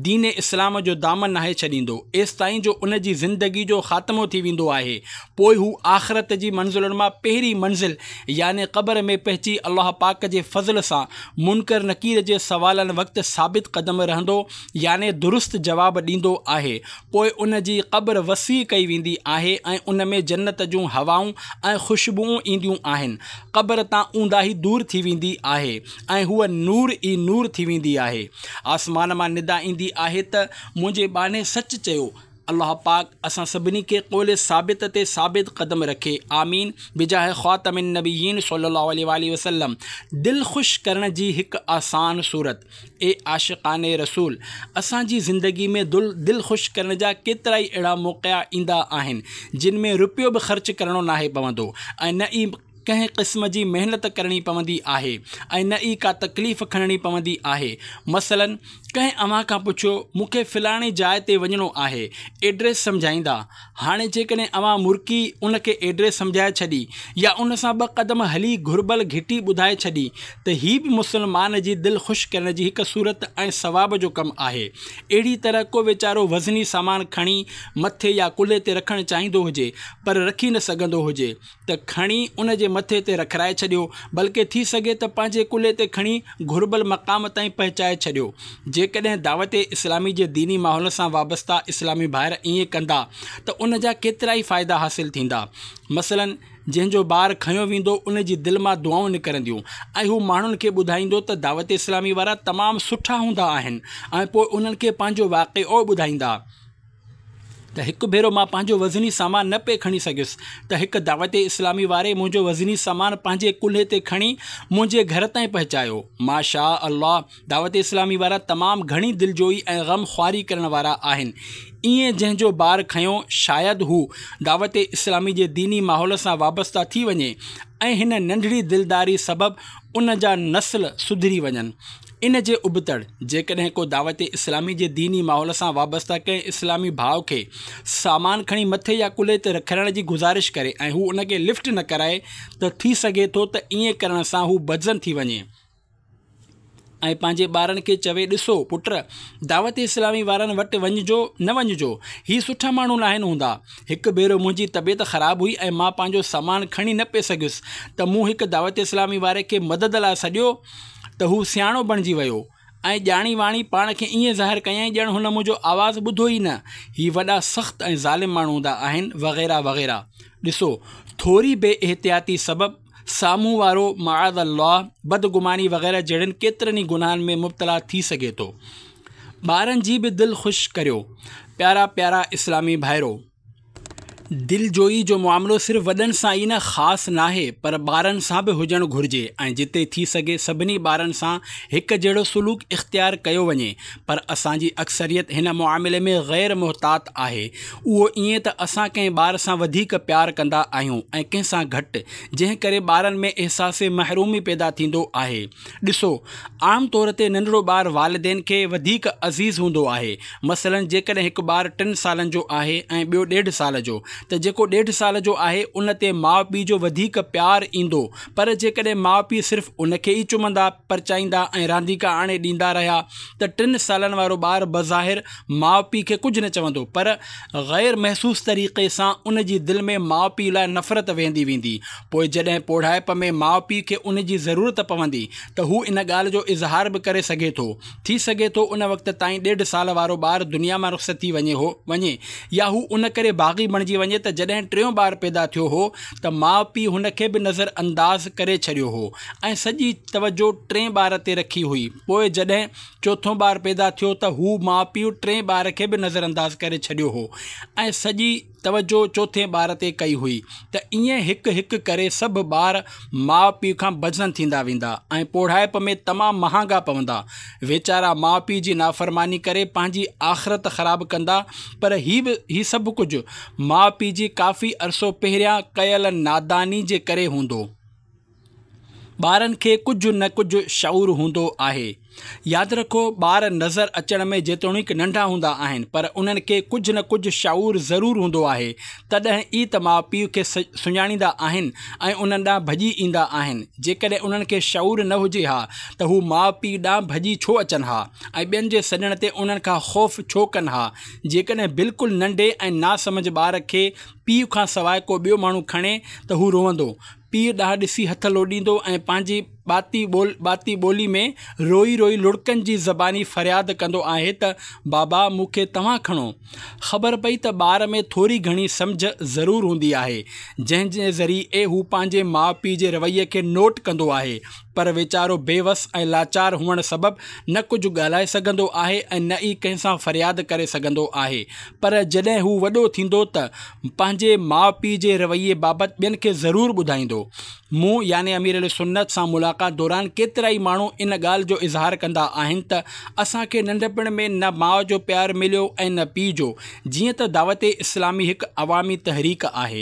دين اسلام جو دامن ناهي ڇڏيندو ايستائين جو ان جي زندگي جو خاتمو ٿي ويندو آهي پوء هو آخرت جي منزلن مان پهرين منزل يعني قبر ۾ پهچي الله پاڪ جي فضل سان منڪر نڪير جي سوالن وقت ثابت قدم رهندو يعني درست جواب ڏيندو آهي پوء ان جي قبر وسيع ڪئي ويندي آهي ۽ ان ۾ جنت جون هوائون ۽ خوشبوئون اينديون آهن. قبر تان اونداهي دور ٿي ويندي آهي ۽ هوء نور ئي نور ٿي ويندي آهي. آسمان مان ندا ايندي آهي ته منهنجي ٻانهي سچ چيو. الله پاڪ اسان سڀني کي قول ثابت تي ثابت قدم رکي. آمين بجاه خاتم النبيين صلي الله عليه واٰله وسلم. دل خوش ڪرڻ جي هڪ آسان صورت. اي عاشقان رسول! اسان جي زندگي ۾ دل دل خوش ڪرڻ جا ڪيترائي اهڙا موقعا ايندا آهن، جن ۾ رپيو به خرچ ڪرڻو ناهي پوندو ۽ نه ئي ڪنهن قسم جي محنت ڪرڻي پوندي آهي ۽ نه ئي ڪا تڪليف کڻڻي پوندي آهي. مثلاً ڪنهن اوهان کان پڇيو مون کي فلاڻي جاء تي وڃڻو آهي، ايڊريس سمجهائيندا. هاڻي جيڪڏهن اوهان مرڪي ان کي ايڊريس سمجهائي ڇڏي يا ان سان ٻه قدم هلي گهربل گهٽي ٻڌائي ڇڏي ته هي به مسلمان جي دل خوش ڪرڻ جي هڪ صورت ۽ ثواب جو ڪم آهي. اهڙي طرح ڪو ويچارو وزني سامان کڻي مٿي يا ڪلهي تي رکڻ چاهيندو هجي پر رکي نه سگهندو هجي ته کڻي ان جي مٿي تي رکرائي ڇڏيو، بلڪه ٿي سگهي ته پنهنجي ڪلهي تي کڻي گهربل مقام تائين پهچائي ڇڏيو. جيڪڏهن دعوت اسلامي جي ديني ماحول سان وابسته اسلامي ڀائر ائين ڪندا ته ان جا ڪيترائي فائدا حاصل ٿيندا. مثلاً جنهن جو بار کنيو ويندو ان جي دل مان دعائون نڪرنديون ۽ هو ماڻهن کي ٻڌائيندو ته دعوت اسلامي وارا تمام سٺا هوندا آهن ۽ پوء انهن کي پنهنجو واقعو ٻڌائيندا ته هڪ ڀيرو مان پنهنجو وزني سامان نه پئي کڻي سگهيس ته هڪ دعوت اسلامي واري منهنجو وزني سامان پنهنجي ڪلهي تي کڻي منهنجي گهر تائين پهچايو. ماشاء الله دعوت اسلامي وارا تمام گهڻي دلجوئي ۽ غم خواري ڪرڻ وارا آهن. ائين جنهن جو بار کنيو شايد هو دعوت اسلامي جي ديني ماحول سان وابسته ٿي وڃي ۽ هن ننڍڙي دلداري سبب ان جا نسل سڌري وڃن. ان جي ابتڙ جيڪڏهن ڪو دعوت اسلامي جي ديني ماحول سان وابسته ڪنهن اسلامي ڀاء کي سامان کڻي مٿي يا ڪلهي تي رکرائڻ جي گذارش ڪري ۽ هو ان کي لفٽ نه ڪرائي ته ٿي سگهي ٿو ته ائين ڪرڻ سان هو بدظن ٿي وڃي ۽ پنهنجي ٻارن کي چوي ڏسو پٽ دعوت اسلامي وارن وٽ وڃجو نه وڃجو، هي سٺا ماڻهو ناهن هوندا. هڪ ڀيرو منهنجي طبيعت خراب هئي ۽ مان پنهنجو سامان کڻي نه پئي سگهيس ته مون هڪ دعوت اسلامي واري کي مدد لاء سڏيو ته هو سياڻو بڻجي ويو ۽ ڄاڻي واڻي پاڻ کي ائين ظاهر ڪيائين ڄڻ هن منهنجو آواز ٻڌو ئي نه. هي وڏا سخت ۽ ظالم ماڻهو هوندا آهن وغيره وغيره. ڏسو ٿوري بي احتياطي سبب سامهون وارو معاذ الله بدگماني وغيره جهڙن ڪيترن ئي گناهن ۾ مبتلا ٿي سگهي ٿو. ٻارن جي به دل خوش ڪريو. پيارا پيارا اسلامي ڀائرو! دلجوئي جو معاملو صرف وڏن سان ئي نه خاص ناهي پر ٻارن سان به هجڻ گهرجي ۽ جتي ٿي سگهي سڀني ٻارن سان هڪ جهڙو سلوڪ اختيار ڪيو وڃي پر اسان جي اڪثريت هن معاملي ۾ غير محتاط آهي. اهو ائين ته اسان ڪنهن ٻار سان وڌيڪ پيار ڪندا آهيون ۽ ڪنهن سان گهٽ، جنهن ڪري ٻارن ۾ احساس محرومي پيدا ٿيندو آهي. ڏسو، عام طور تي ننڍڙو ٻار والدين کي وڌيڪ عزيز هوندو آهي. مثلاً جيڪڏهن هڪ ٻار ٽن سالن جو آهي ۽ ٻيو ڏيڍ سال جو ته جيڪو ڏيڍ سال جو آهي ان تي ماء پيء جو وڌيڪ پيار ايندو پر جيڪڏهن ماء پيء صرف ان کي ئي چمندا، پرچائيندا ۽ رانديڪا آڻي ڏيندا رهيا ته ٽن سالن وارو ٻار بظاهر ماء پيء کي ڪجهه نه چوندو پر غير محسوس طريقي سان ان جي دل ۾ ماء پيء لاء نفرت ويهندي ويندي. پوء جڏهن پوڙهائپ ۾ ماء پيء کي ان جي ضرورت پوندي ته هو ان ڳالهه جو اظهار به ڪري سگهي ٿو. ٿي سگهي ٿو ان وقت تائين ڏيڍ سال وارو ٻار دنيا مان رخصت ٿي وڃي هو وڃي يا هو ان ڪري باغي بڻجي وڃي ته جڏهن ٽيون ٻار پيدا ٿيو هو ته ماء پيء هن کي به نظر انداز ڪري ڇڏيو هو ۽ سڄي توجهه ٽئين ٻار تي رکي هئي پوء جڏهن چوٿون ٻار پيدا ٿيو ته هو ماء پيء ٽئين ٻار کي به نظرانداز ڪري ڇڏيو هو ۽ سڄي توجهه چوٿين ٻار تي ڪئي هئي ته ائين هڪ هڪ ڪري سڀ ٻار ماء پيء کان بدظن ٿيندا ويندا ۽ پوڙهائپ ۾ تمام مهانگا پوندا. ويچارا ماء پيء جي نافرماني ڪري پنهنجي آخرت خراب ڪندا پر هي به هي سڀ ڪجهه ماء پيء جي ڪافي عرصو پهريان ڪيل ناداني جي ڪري هوندو. ٻارن کي ڪجهه نه ڪجهه شعور هوندو آهي. ياد رکو ٻار نظر اچڻ ۾ جيتوڻيڪ ننڍا هوندا آهن پر انهن کي ڪجهه نه ڪجهه شعور ضرور هوندو آهي تڏهن ئي ته ماء پيء کي سڃاڻيندا آهن ۽ انهن ڏانهن ڀڄي ايندا آهن. جيڪڏهن انهن کي شعور نه هجي ها ته هو ماء پيء ڏانهن ڀڄي ڇو اچن ها ۽ ٻين جي سڏڻ تي انهن کان خوف ڇو ڪن ها. جيڪڏهن بلڪل ننڍي ۽ ناسمجهه ٻار کي پيء کان سواء ڪو ٻيو ماڻهو کڻي ته هو روئندو، پيء ڏانهن ڏسي هٿ لوڏيندو ۽ پنهنجي ٻاتي ٻول ٻاتي ٻولي ۾ روئي روئي لڙڪن جي زباني فرياد ڪندو آهي ته بابا مون کي توهان کڻو. خبر پئي ته ٻار ۾ ٿوري گهڻي سمجهه ضرور هوندي آهي، جنهن جي ذريعي هو پنهنجي ماء پيء جي رويي کي نوٽ ڪندو آهي، پر ويچارو بي وس ۽ لاچار هئڻ سبب نه ڪجهه ڳالهائي سگهندو آهي ۽ نه ئي ڪنهن سان فرياد ڪري سگهندو آهي پر جڏهن هو وڏو ٿيندو ته پنهنجي ماء پيء جي رويي بابت ٻين کي ضرور ٻڌائيندو. مون يعني امير اهل سنت سان ملاقات دوران ڪيترائي ماڻهو ان ڳالهه جو اظهار ڪندا آهن ته اسان کي ننڍپڻ ۾ نه ماء جو پيار مليو ۽ نه پيء جو. جيئن ته دعوت اسلامي هڪ عوامي تحريڪ آهي،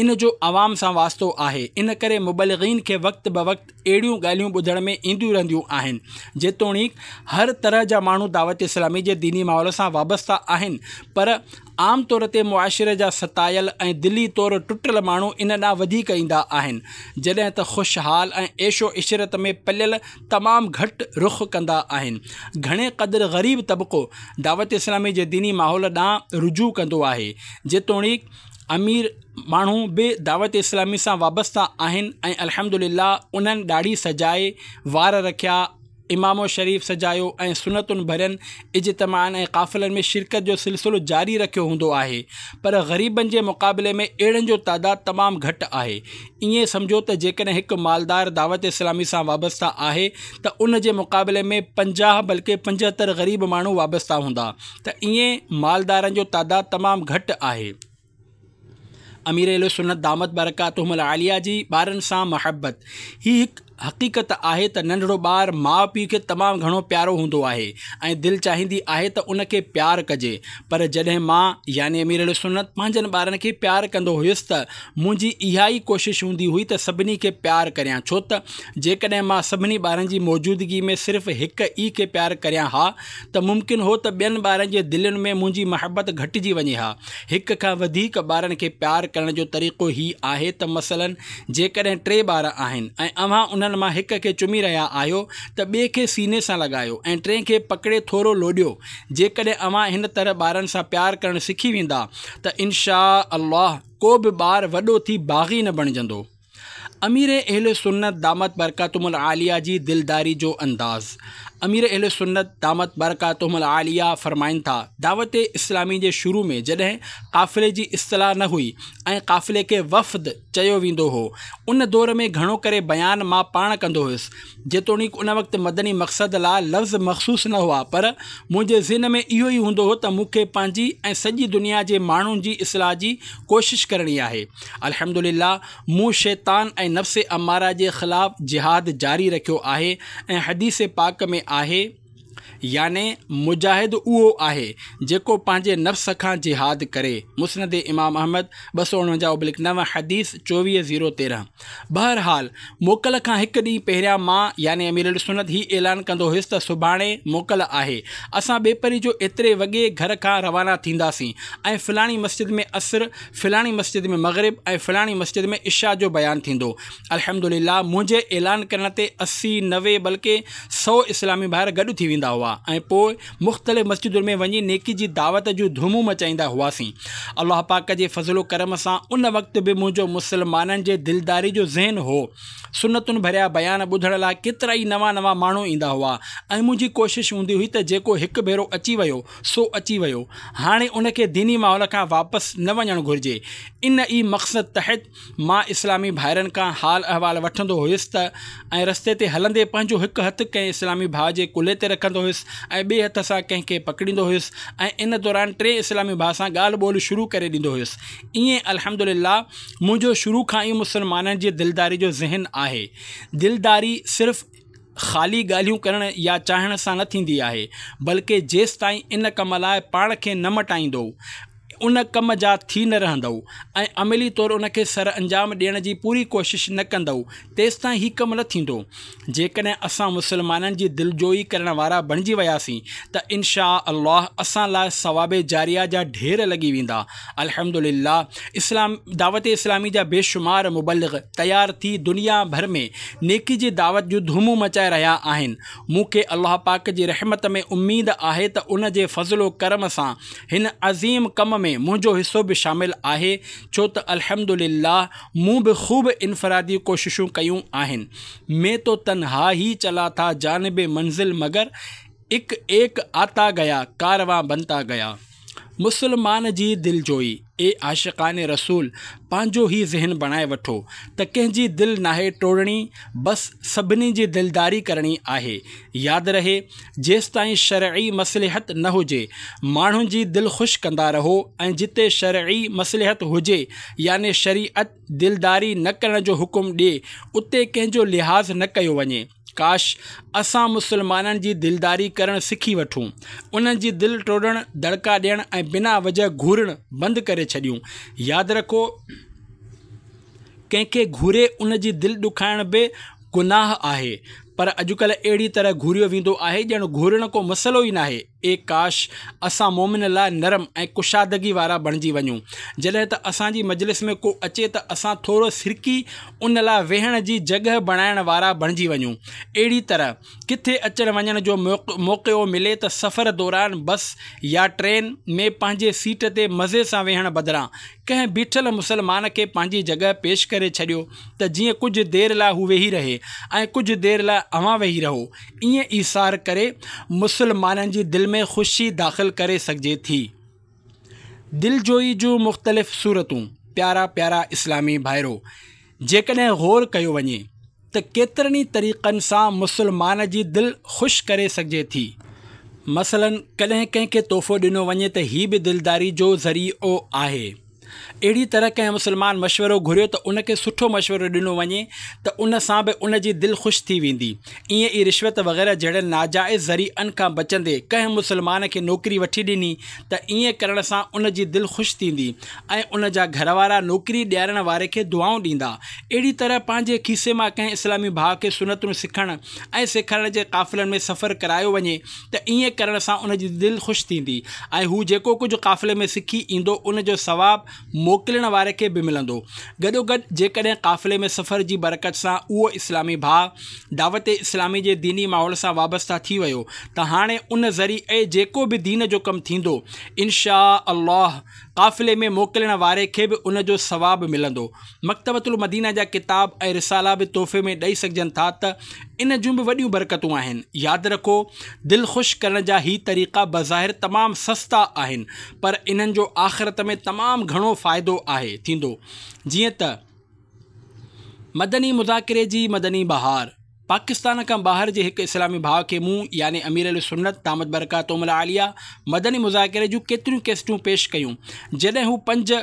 ان جو عوام سان واسطو آهي، ان ڪري مبلغين کي وقت بوقت اهڙيون ڳالهيون ٻڌڻ ۾ اينديون رهنديون آهن. جيتوڻيڪ هر طرح جا ماڻهو دعوت اسلامي جي ديني ماحول سان وابسته آهن، پر عام طور تي معاشري جا ستايل ۽ دلي طور ٽٽل ماڻهو ان ڏانهن وڌيڪ ايندا آهن، جڏهن ته خوشحال ۽ عيش و عشرت ۾ پليل تمام گهٽ رخ ڪندا آهن. گهڻي قدر غريب طبقو دعوت اسلامي جي ديني ماحول ڏانهن رجوع ڪندو آهي. جيتوڻيڪ امير ماڻهو به دعوت اسلامي سان وابسته آهن ۽ الحمدلله انهن ڏاڙهي سجائي، وار رکيا، امامو شريف سجايو ۽ سنتن ڀرين اجتماعن ۽ قافلن ۾ شرڪت جو سلسلو جاري رکيو هوندو آهي، پر غريبن جي مقابلي ۾ اهڙن جو تعداد تمام گهٽ آهي. ائين سمجهو ته جيڪڏهن هڪ مالدار دعوت اسلامي سان وابسته آهي ته ان جي مقابلي ۾ پنجاهه بلڪه پنجهتر غريب ماڻهو وابسته هوندا، ته ائين مالدارن جو تعداد تمام گهٽ آهي. امير اهل سنت دامت برڪاتهم العاليه جي ٻارن سان محبت. هي هڪ حقيقت آهي ته ننڍڙو ٻار ماء پيء کي تمام گهڻو پيارو هوندو آهي ۽ دل چاهيندي آهي ته ان کي پيار ڪجي، پر جڏهن مان يعني امير اهل سنت پنهنجن ٻارن کي پيار ڪندو هيس ته منهنجي اها ئي ڪوشش هوندي هئي ته سڀني کي پيار ڪريان، ڇو ته جيڪڏهن مان سڀني ٻارن جي موجودگي ۾ صرف هڪ ئي کي پيار ڪريان ها ته ممڪن هو ته ٻين ٻارن جي دلين ۾ منهنجي محبت گهٽجي وڃي ها. هڪ کان وڌيڪ ٻارن کي پيار ڪرڻ جو طريقو هي آهي ته مثلاً جيڪڏهن ٽي ٻار آهن ۽ اوهان انهن مان هڪ کي چمي رهيا آهيو ته ٻئي کي سيني سان لڳايو ۽ ٽئين کي پڪڙي ٿورو لوڏيو. جيڪڏهن اوهان هن طرح ٻارن سان پيار ڪرڻ سکي ويندا ته انشاء الله ڪو به ٻار وڏو ٿي باغي نه بڻجندو. امير اهل سنت دامت برڪاتهم العاليه جي دلداري جو انداز. امير اهل سنت دامت برڪاتهم العاليه فرمائن ٿا، دعوت اسلامي جي شروع ۾ جڏهن قافلي جي اصطلاح نه هئي ۽ قافلي کي وفد چيو ويندو هو، ان دور ۾ گهڻو ڪري بيان مان پاڻ ڪندو هيس. جيتوڻيڪ ان وقت مدني مقصد لاء لفظ مخصوص نه هئا، پر منهنجي ذهن ۾ اهو ئي هوندو هو ته مون کي پنهنجي ۽ سڄي دنيا جي ماڻهن جي اصلاح جي ڪوشش ڪرڻي آهي. الحمدلله مون شيطان ۽ نفس اماره جي خلاف جهاد جاري رکيو آهي ۽ حديث پاڪ ۾ آهي، يعني مجاهد اهو آهي جيڪو پنهنجي نفس کان جهاد ڪري. مسند امام احمد ٻه سؤ اڻونجاهه ابلڪ نو، حديث چوويهه زيرو تيرهن. بهرحال موڪل کان هڪ ڏينهن پهريان مان يعني امير اهلسنت هي اعلان ڪندو هيس ته سڀاڻي موڪل آهي، اسان ٻيپهري جو ايتري وڳي گهر کان روانا ٿينداسين ۽ فلاڻي مسجد ۾ عصر، فلاڻي مسجد ۾ مغرب ۽ فلاڻي مسجد ۾ عشاء جو بيان ٿيندو. الحمدلله منهنجي اعلان ڪرڻ تي اسي، نوي بلڪه سؤ اسلامي ڀائر گڏ ٿي ويندا هئا ۽ پوء مختلف مسجدن ۾ وڃي نيڪي جي دعوت جون ڌومون مچائيندا هئاسين. الله پاڪ جي فضل و ڪرم سان ان وقت به منهنجو مسلمانن جي دلداري جو ذهن هو. سنتن ڀريا بيان ٻڌڻ لاء ڪيترائي نوان نوان ماڻهو ايندا هئا ۽ منهنجي ڪوشش هوندي هئي ته جيڪو هڪ ڀيرو اچي ويو سو اچي ويو، هاڻي ان کي ديني ماحول کان واپس نه وڃڻ گهرجي. ان ئي مقصد تحت مان اسلامي ڀائرن کان حال احوال وٺندو هيس ته ۽ رستي تي هلندي پنهنجو هڪ هٿ ڪنهن اسلامي ڀاء جي ڪلهي تي رکندو هيس ۽ ٻئي هٿ سان ڪنهن کي پڪڙيندو هيس ۽ ان دوران ٽئين اسلامي ڀاء سان ڳالهه ٻولهه شروع ڪري ڏيندو هيس. ائين الحمدلله منهنجو شروع کان ئي مسلمانن جي دلداري جو ذهن آهي. دلداري صرف خالي ڳالهيون ڪرڻ يا چاهڻ سان نه ٿيندي آهي، بلڪه جيستائين ان ڪم لاء پاڻ کي نه مٽائيندؤ، ان ڪم جا ٿي نه رهندؤ ۽ عملي طور ان کي سرانجام ڏيڻ جي پوري ڪوشش نه ڪندؤ، تيستائين هي ڪم نه ٿيندو. جيڪڏهن اسان مسلمانن جي دلجوئي ڪرڻ وارا بڻجي وياسين ته انشاء الله اسان لاء ثواب جاريه جا ڍير لڳي ويندا. الحمدلله اسلام دعوت اسلامي جا بيشمار مبلغ تيار ٿي دنيا ڀر ۾ نيڪي جي دعوت جون ڌومون مچائي رهيا آهن. مون کي الله پاڪ جي رحمت ۾ اميد آهي ته ان جي فضل و ڪرم سان هن عظيم ڪم ۾ منهنجو حصو به شامل آهي، ڇو ته الحمدلله مون به خوب انفرادي ڪوششون ڪيون آهن. مين تو تنها هي چلا ٿا جانب منزل مگر اڪ ايڪ آتا گيا ڪاروان بنتا گيا. مسلمان جي دلجوئي. اي عاشقان رسول! پنهنجو هي ذهن بڻائي وٺو ته ڪنهن جي دل ناهي ٽوڙڻي، بس سڀني جي دلداري ڪرڻي آهي. ياد رهي، جيستائين شرعي مصلحت نه هجي، ماڻهن جي دل خوش ڪندا رهو ۽ جتي شرعي مصلحت هجي يعني شريعت دلداري نه ڪرڻ جو حڪم ڏي، اتي ڪنهن جو لحاظ نه ڪيو وڃي. ڪاش! اسان مسلمانن جي دلداري ڪرڻ سکي وٺون، انهن جي دل ٽوڙڻ، دڙڪا ڏيڻ ۽ بنا وجه گهورڻ بند ڪري ڇڏيون. ياد رکو! ڪنهن کي گهوري ان جي دل ڏکائڻ به گناهه آهي، پر اڄڪلهه اهڙي طرح گهوريو ويندو آهي ڄڻ گهورڻ ڪو مسئلو ئي ناهي. اي ڪاش! اسان مؤمن لاء نرم ۽ ڪشادگي وارا بڻجي وڃون. جڏهن ته اسان جي مجلس ۾ ڪو اچي ته اسان ٿورو سرڪي ان لاء ويهڻ جي جڳهه بڻائڻ وارا بڻجي وڃون. اهڙي طرح ڪٿي اچڻ وڃڻ جو موقعو ملي ته سفر دوران بس يا ٽرين ۾ پنهنجي سيٽ تي مزي سان ويهڻ بدران ڪنهن بيٺل مسلمان کي پنهنجي جڳهه پيش ڪري ڇڏيو ته جيئن ڪجهه دير لاء هو ويهي رهي ۽ ڪجهه دير لاء اوهان ويهي رهو. ائين ايثار ڪري مسلمانن جي دل ۾ خوشي داخل ڪري سگهجي ٿي. دلجوئي جون مختلف صورتون. پيارا پيارا اسلامي ڀائرو! جيڪڏهن غور ڪيو وڃي ته ڪيترن ئي طريقن سان مسلمان جي دل خوش ڪري سگهجي ٿي. مثلاً ڪڏهن ڪنهن کي تحفو ڏنو وڃي ته هي به دلداري جو ذريعو آهي. اهڙي طرح ڪنهن مسلمان مشورو گهريو ته ان کي سٺو مشورو ڏنو وڃي ته ان سان به ان جي دل خوش ٿي ويندي. ائين ئي رشوت وغيره جهڙن ناجائز ذريعن کان بچندي ڪنهن مسلمان کي نوڪري وٺي ڏني ته ائين ڪرڻ سان ان جي دل خوش ٿيندي ۽ ان جا گهروارا نوڪري ڏيارڻ واري کي دعائون ڏيندا. اهڙي طرح پنهنجي کيسي مان ڪنهن اسلامي ڀاء کي سنتون سکڻ ۽ سيکارڻ جي قافلن ۾ سفر ڪرايو وڃي ته ائين ڪرڻ سان ان جي دل خوش ٿيندي ۽ هو جيڪو ڪجهه قافلي ۾ سکي ايندو ان جو ثواب موڪلڻ واري کي به ملندو. گڏوگڏ جيڪڏهن قافلي ۾ سفر جي برڪت سان اهو اسلامي ڀاء دعوت اسلامي جي ديني ماحول سان وابسته ٿي ويو ته هاڻي ان ذريعي جيڪو به دين جو ڪم ٿيندو ان شآء الله قافلي ۾ موڪلڻ واري کي به ان جو ثواب ملندو. مڪتبة المدينه جا ڪتاب ۽ رسالا به تحفي ۾ ڏئي سگهجن ٿا ته ان جون به وڏيون برڪتون آهن. ياد رکو! دل خوش ڪرڻ جا هي طريقا بظاهر تمام سستا آهن پر انهن جو آخرت ۾ تمام گهڻو فائدو آهي ٿيندو جيئن ته مدني مذاڪري جي مدني بهار پاڪستان کان ٻاهر جي هڪ اسلامي ڀاء کي مون يعني امير اهلسنت دامت برڪاتهم العاليه مدني مذاڪري جون ڪيتريون ڪيسٽون پيش ڪيون جڏهن هو پنج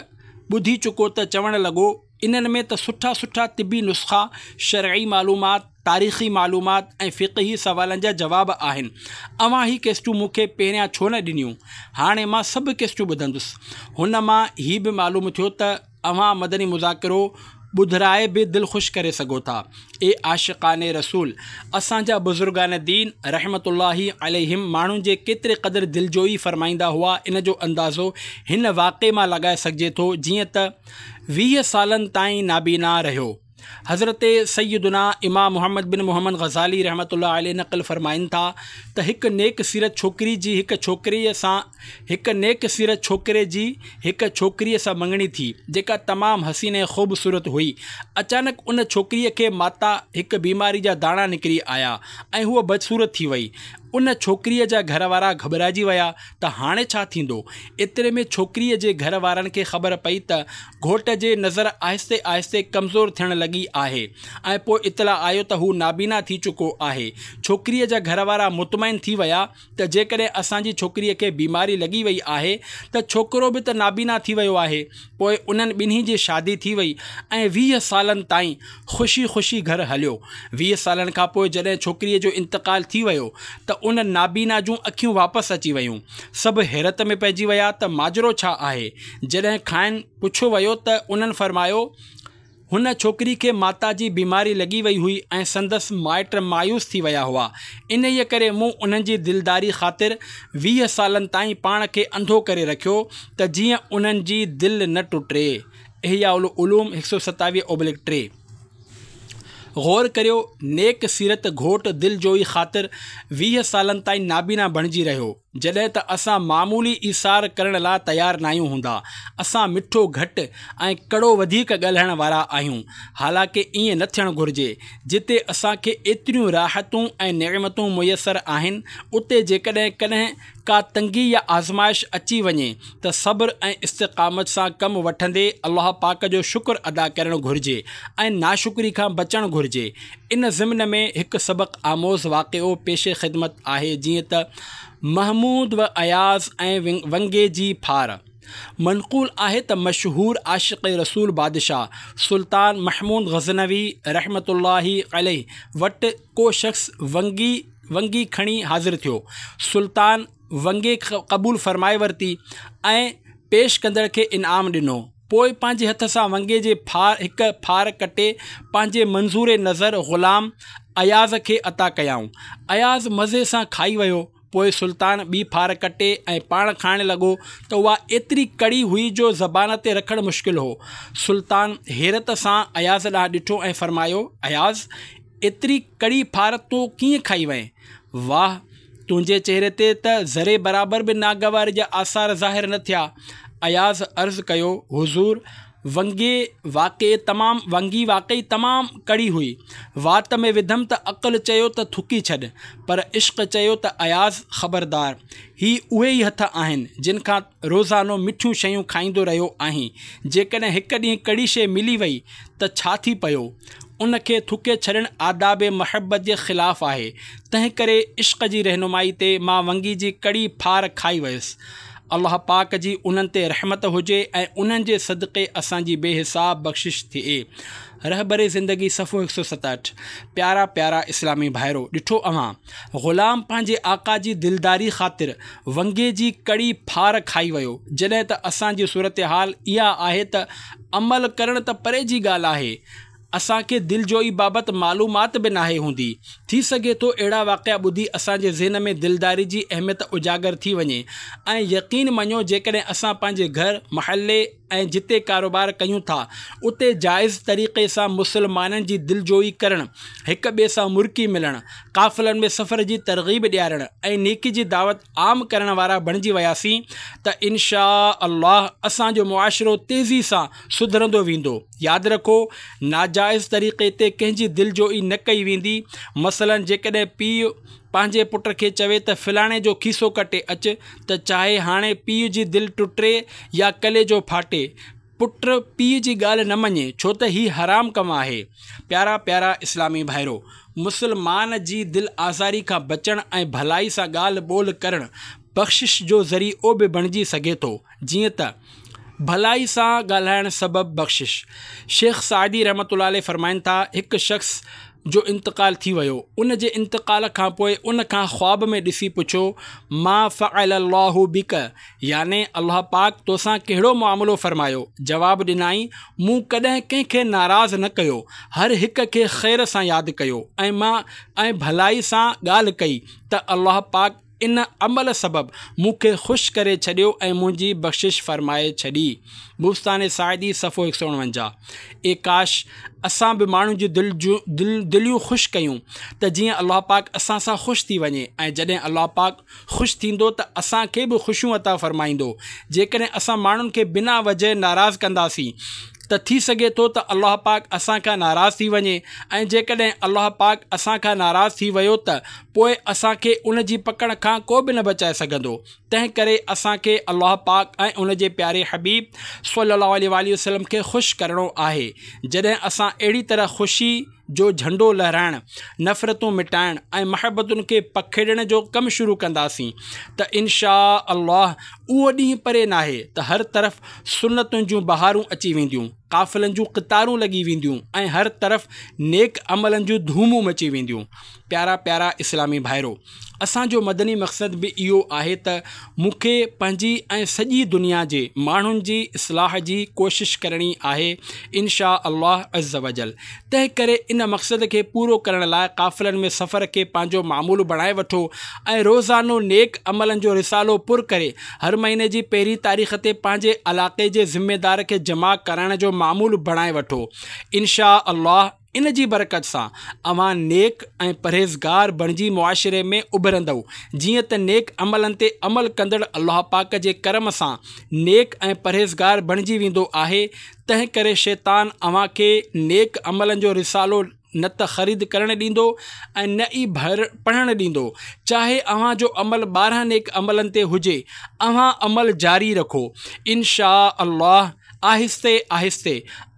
ٻڌي چڪو ته چوڻ لڳو انهن ۾ ته سٺا سٺا طبي نسخا، شرعي معلومات، تاريخي معلومات ۽ فقهي سوالن جا جواب آهن. اوهان هي ڪيسٽون مون کي پهريان ڇو نه ڏنيون؟ هاڻي مان سڀ ڪيسٽون ٻڌندس. هن مان هي به معلوم ٿيو ته اوهان مدني مذاڪرو ٻڌرائي به دل خوش ڪري سگهو ٿا. اي عاشقان رسول! اسان جا بزرگان دين رحمة الله عليهم ماڻهن جي ڪيتري قدر دلجوئي فرمائيندا هئا ان جو اندازو هن واقعي مان لڳائي سگهجي ٿو جيئن ته ويهه سالن تائين نابينا رهيو. حضرت سيدنا امام محمد بن محمد غزالي رحمة الله عليه نقل فرمائن ٿا ته هڪ نيڪ سيرت ڇوڪري جي هڪ ڇوڪريء سان هڪ نيڪ سيرت ڇوڪري جي هڪ ڇوڪريء سان مڱڻي ٿي جيڪا تمام حسين ۽ خوبصورت هئي. اچانڪ ان ڇوڪريء کي ماتا هڪ بيماري جا داڻا نڪري آيا ۽ هوء بدصورت ٿي وئي. ان ڇوڪريء جا گهر وارا گهٻرائجي ويا ته هاڻي ڇا ٿيندو؟ ايتري ۾ ڇوڪريء جي گهر وارن کي خبر پئي ته گهوٽ جي نظر آهستي آهستي ڪمزور ٿيڻ لڳي آهي ۽ پوء اطلاع آيو ته هو نابينا ٿي چڪو آهي. ڇوڪريء جا گهر وارا مطمئن ٿي ويا ته جيڪڏهن اسان جي ڇوڪريء کي بيماري لڳي وئي آهي ته ڇوڪرو به ته نابينا ٿي ويو آهي. پوء انهن ٻنهي جي شادي ٿي وئي ۽ ويهه سالن تائين خوشي خوشي گهر هليو. ويهه سالن کان پوء جڏهن ڇوڪريء جو انتقال ٿي ويو ته ان نابينا جون اکيون واپس اچي ويون. سڀ حيرت ۾ پئجي ويا ته ماجرو ڇا آهي؟ جڏهن کانئن پڇيو ويو ته انهن فرمايو، هن ڇوڪري کي ماتا جي بيماري لڳي وئي هئي ۽ سندس مائٽ مايوس ٿي ويا هئا، انهيء ڪري مون انهن جي دلداري خاطر ويهه سالن تائين پاڻ کي انڌو ڪري رکيو ته جيئن انهن جي دل نه ٽٽي. احياء العلوم هڪ سؤ ستاويهه اوبليڪ ٽي. غور ڪريو، نيڪ سيرت گهوٽ دل جوئي خاطر ويهه سالن تائين نابينا بڻجي رهيو. جڏهن ته اسان معمولي ايثار ڪرڻ لاء تيار ناهيون هوندا. اسان مٺو گهٽ ۽ ڪڙو وڌيڪ ڳالهائڻ وارا آهيون، حالانڪه ائين نه ٿيڻ گهرجي. جتي اسان کي ايتريون راحتون ۽ نعمتون ميسر آهن، اتي جيڪڏهن ڪڏهن ڪا تنگي يا آزمائش اچي وڃي ته صبر ۽ استقامت سان ڪم وٺندي الله پاڪ جو شڪر ادا ڪرڻ گهرجي ۽ ناشڪري کان بچڻ گهرجي. ان ضمن ۾ هڪ سبق آموز واقعو پيش خدمت آهي، جيئن ته محمود و اياز ۽ ونگي جي ڦار. منقول آهي ته مشهور عاشق رسول بادشاهه سلطان محمود غزنوي رحمة الله عليه وٽ ڪو شخص ونگي ونگي کڻي حاضر ٿيو. سلطان ونگي قبول فرمائي ورتي ۽ پيش ڪندڙ کي انعام ڏنو. پوء پنهنجي هٿ سان ونگي جي ڦار هڪ ڦار ڪٽي پنهنجي منظور نظر غلام اياز کي عطا ڪيائون. اياز مزي سان کائي ويو. پوء سلطان ٻي ڦار ڪٽي ۽ پاڻ کائڻ لڳو ته اها ايتري ڪڙي هئي جو زبان تي رکڻ مشڪل هو. سلطان حيرت سان اياز ڏانهن ڏٺو ۽ فرمايو، اياز، ايتري ڪڙي ڦار تون ڪيئن کائي وئين؟ واهه، تنهنجي چهري تي ته ذري برابر به ناگواري جا آثار ظاهر نه ٿيا. اياز عرض ڪيو، حضور، ونگي واقعي تمام ونگي واقعي تمام ڪڙي هئي. وات ۾ وڌم ته عقل چيو ته ٿڪي ڇڏ، پر عشق چيو ته اياز خبردار، هي اهي ئي هٿ آهن جن کان روزانو مٺيون شيون کائيندو رهيو آهين. جيڪڏهن هڪ ڏينهن ڪڙي شيء ملي وئي ته ڇا ٿي پيو؟ ان کي ٿڪي ڇڏڻ آداب محبت جي خلاف آهي. تنهن ڪري عشق جي رهنمائي تي مان ونگي جي ڪڙي ڦار کائي ويس. الله پاڪ جي انهن تي رحمت هجي ۽ انهن جي صدقي اسان جي بي حساب بخشش ٿئي. رهبر زندگي صفحو هڪ سؤ ستهٺ. پيارا پيارا اسلامي ڀائرو! ڏٺو اوهان! غلام پنهنجي آقا جي دلداري خاطر ونگي جي ڪڙي ڦار کائي ويو، جڏهن ته اسان جي صورتحال اها آهي ته عمل ڪرڻ ته پري جي ڳالهه آهي، اسان کي دلجوئي بابت معلومات به ناهي هوندي. ٿي سگهي ٿو اهڙا واقعا ٻڌي اسان جي ذهن ۾ دلداري جي اهميت اجاگر ٿي وڃي ۽ يقين مڃو جيڪڏهن اسان پنهنجي گهر، محلي ۽ جتي ڪاروبار ڪيون ٿا اتي جائز طريقي سان مسلمانن جي دلجوئي ڪرڻ، هڪ ٻئي سان مرڪي ملڻ، قافلن ۾ سفر جي ترغيب ڏيارڻ ۽ نيڪي جي دعوت عام ڪرڻ وارا بڻجي وياسين ته انشاء الله اسان جو معاشرو تيزي سان سڌرندو ويندو. ياد رکو، ناجائز طريقي تي ڪنهن جي دلجوئي نه ڪئي ويندي. مثلاً جيڪڏهن پيء پنهنجي پٽ کي چوي ته فلاڻي جو کيسو ڪٽي اچ ته چاهي هاڻي پيء جي دل ٽٽي يا ڪليجو ڦاٽي، پٽ پيء جي ڳالهه نه مڃي، ڇو ته هي حرام ڪم آهي. پيارا پيارا اسلامي ڀائرو! مسلمان جي دل آزاري کان بچڻ ۽ ڀلائي سان ڳالهه ٻولهه ڪرڻ بخشش جو ذريعو به بڻجي سگهي ٿو، جيئن ته. ڀلائي سان ڳالهائڻ سبب بخشش. شيخ سعدي رحمة الله عليه فرمائن ٿا، هڪ شخص جو انتقال ٿي ويو، ان جي انتقال کان پوء ان کان خواب ۾ ڏسي پڇيو، ما فعل الله بک يعني الله پاڪ توسان ڪهڙو معاملو فرمايو؟ جواب ڏنائين، مون ڪڏهن ڪنهن کي ناراض نه ڪيو، هر هڪ کي خير سان ياد ڪيو ۽ مان ۽ ڀلائي سان ڳالهه ڪئي ته الله پاڪ ان عمل سبب مون کي خوش ڪري ڇڏيو ۽ منهنجي بخشش فرمائي ڇڏي. بوستان سعدي صفحو هڪ سؤ اڻونجاهه. اي ڪاش! اسان به ماڻهن جون دل دل دليون خوش ڪيون ته جيئن الله پاڪ اسان سان خوش ٿي وڃي ۽ جڏهن الله پاڪ خوش ٿيندو ته اسان کي به خوشيون عطا فرمائيندو. جيڪڏهن اسان ماڻهن کي بنا وجهه ناراض ڪنداسين ته ٿي سگهي ٿو ته الله پاڪ اسان کان ناراض ٿي وڃي ۽ جيڪڏهن الله پاڪ اسان کان ناراض ٿي ويو ته پوء اسان کي ان جي پڪڙ کان ڪو به نه بچائي سگهندو. تنهن ڪري اسان کي الله پاڪ ۽ ان جي پياري حبيب صلي الله عليه واٰله وسلم کي خوش ڪرڻو آهي. جڏهن اسان اهڙي طرح خوشي جو جهنڊو لهرائڻ، نفرتون مٽائڻ ۽ محبتن کي پکيڙڻ جو ڪم شروع ڪنداسين ته انشاء الله اهو ڏينهن پري ناهي ته هر طرف سنتن جون بهارون اچي وينديون، قافلن جون قطارون لڳي وينديون ۽ هر طرف نيڪ عملن جون ڌومون مچي وينديون. پيارا پيارا اسلامي ڀائرو! اسان جو مدني مقصد به اهو آهي ته مون کي پنهنجي ۽ سڄي دنيا جي ماڻهن جي اصلاح جي ڪوشش ڪرڻي آهي ان شاء الله عزّوجلّ. تنهن ڪري ان مقصد کي پورو ڪرڻ لاء قافلن ۾ سفر کي پنهنجو معمول بڻائي وٺو ۽ روزانو نيڪ عملن جو رسالو پر ڪري هر مهيني جي پهرين تاريخ تي پنهنجي علاقي جي ذميدار کي جمع ڪرائڻ جو معمول بڻائي وٺو ان شاء الله. ان جي برڪت سان اوهان نيڪ ۽ پرهيزگار بڻجي معاشري ۾ اڀرندؤ. جيئن ته نيڪ عملن تي عمل ڪندڙ الله پاڪ جي ڪرم سان نيڪ ۽ پرهيزگار بڻجي ويندو آهي، تنهن ڪري شيطان اوهان کي نيڪ عملن جو رسالو نه ته خريد ڪرڻ ڏيندو ۽ نه ئي پڙهڻ ڏيندو. چاهي اوهان جو عمل ٻارهن نيڪ عملن تي هجي، اوهان عمل جاري رکو، ان شاء الله آهستي آهستي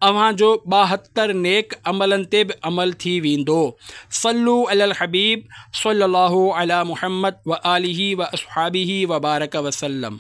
اوهان جو ٻاهتر نيڪ عملن تي به عمل ٿي ويندو. صلو علی الحبيب صلي الله علي محمد وآله واصحابه وبارڪ وسلم.